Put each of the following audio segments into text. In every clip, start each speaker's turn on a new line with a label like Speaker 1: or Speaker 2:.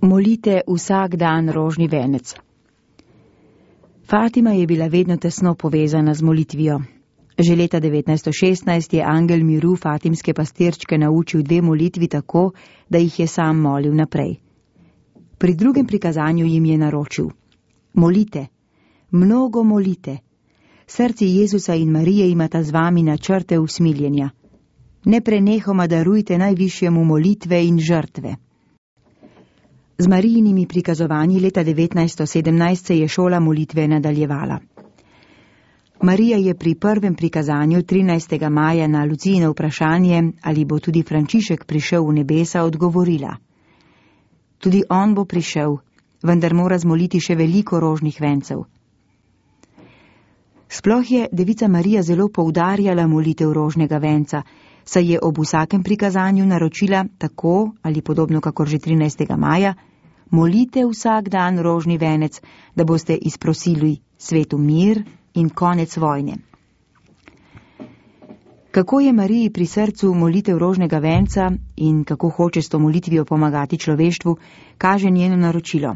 Speaker 1: Molite vsak dan rožni venec. Fatima je bila vedno tesno povezana z molitvijo. Že leta 1916 je angel miru fatimske pastirčke naučil 2 molitvi tako, da jih je sam molil naprej. Pri drugem prikazanju jim je naročil: molite, mnogo molite. Srci Jezusa in Marije imata z vami načrte usmiljenja. Neprenehoma darujte najvišjemu molitve in žrtve. Z Marijinimi prikazovanji leta 1917 se je šola molitve nadaljevala. Marija je pri prvem prikazanju 13. maja na Lucijino vprašanje, ali bo tudi Frančišek prišel v nebesa, odgovorila: tudi on bo prišel, vendar mora zmoliti še veliko rožnih vencev. Sploh je devica Marija zelo poudarjala molitev rožnega venca, saj je ob vsakem prikazanju naročila tako ali podobno kakor že 13. maja: molite vsak dan rožni venec, da boste izprosili svetu mir in konec vojne. Kako je Mariji pri srcu molitev rožnega venca in kako hoče s to molitvijo pomagati človeštvu, kaže njeno naročilo.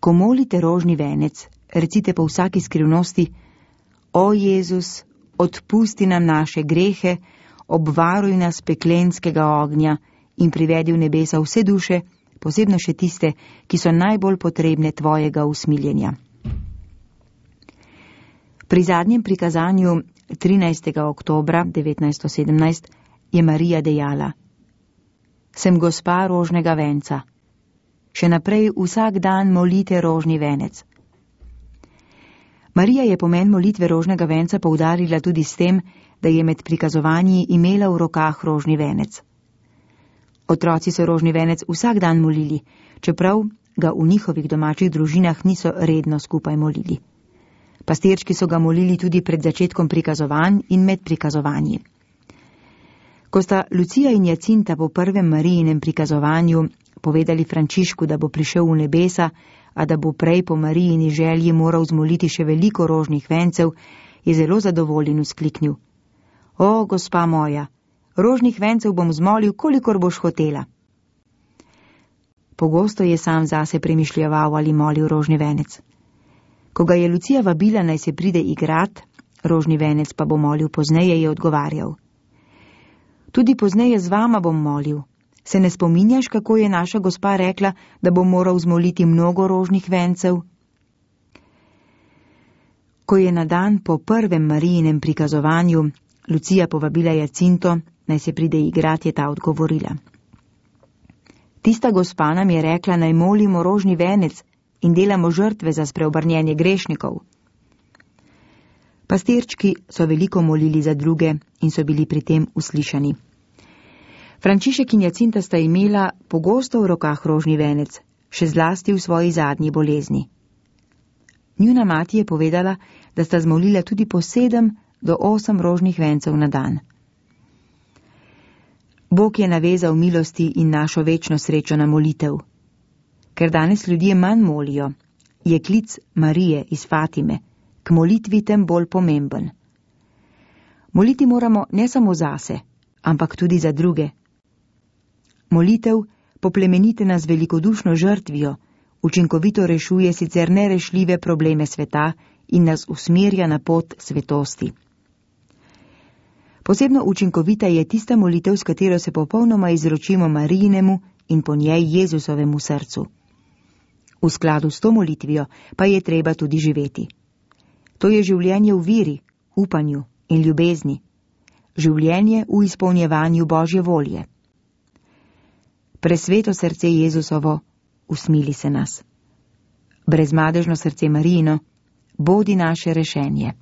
Speaker 1: Ko molite rožni venec, recite po vsaki skrivnosti: o Jezus, odpusti nam naše grehe, obvaruj nas peklenskega ognja in privedi v nebesa vse duše, posebno še tiste, ki so najbolj potrebne tvojega usmiljenja. Pri zadnjem prikazanju 13. oktobra 1917 je Marija dejala: sem gospa rožnega venca. Še naprej vsak dan molite rožni venec. Marija je pomen molitve rožnega venca poudarila tudi s tem, da je med prikazovanji imela v rokah rožni venec. Otroci so rožni venec vsak dan molili, čeprav ga v njihovih domačih družinah niso redno skupaj molili. Pastirčki so ga molili tudi pred začetkom prikazovanj in med prikazovanji. Ko sta Lucija in Jacinta po prvem Marijinem prikazovanju povedali Frančišku, da bo prišel v nebesa, a da bo prej po Marijini želji moral zmoliti še veliko rožnih vencev, je zelo zadovoljen vzkliknil: o, gospa moja, rožnih vencev bom zmolil, kolikor boš hotela. Pogosto je sam zase premišljeval ali molil rožni venec. Ko ga je Lucija vabila, naj se pride igrat, rožni venec pa bo molil pozneje, je odgovarjal: tudi pozneje z vama bom molil. Se ne spominjaš, kako je naša gospa rekla, da bo moral zmoliti mnogo rožnih vencev? Ko je na dan po prvem Marijinem prikazovanju Lucija povabila Jacinto, naj se pride igrat, je ta odgovorila: tista gospa nam je rekla, naj molimo rožni venec in delamo žrtve za spreobrnjenje grešnikov. Pastirčki so veliko molili za druge in so bili pri tem uslišani. Frančišek in Jacinta sta imela pogosto v rokah rožni venec, še zlasti v svoji zadnji bolezni. Njuna mati je povedala, da sta zmolila tudi po 7 do 8 rožnih vencev na dan. Bog je navezal milosti in našo večno srečo na molitev. Ker danes ljudje manj molijo, je klic Marije iz Fatime k molitvi tem bolj pomemben. Moliti moramo ne samo zase, ampak tudi za druge. Molitev, poplemenitena z velikodušno žrtvijo, učinkovito rešuje sicer nerešljive probleme sveta in nas usmerja na pot svetosti. Posebno učinkovita je tista molitev, s katero se popolnoma izročimo Marijinemu in po njej Jezusovemu srcu. V skladu s to molitvijo pa je treba tudi živeti. To je življenje v veri, upanju in ljubezni. Življenje v izpolnjevanju Božje volje. Presveto srce Jezusovo, usmili se nas. Brezmadežno srce Marijino, bodi naše rešenje.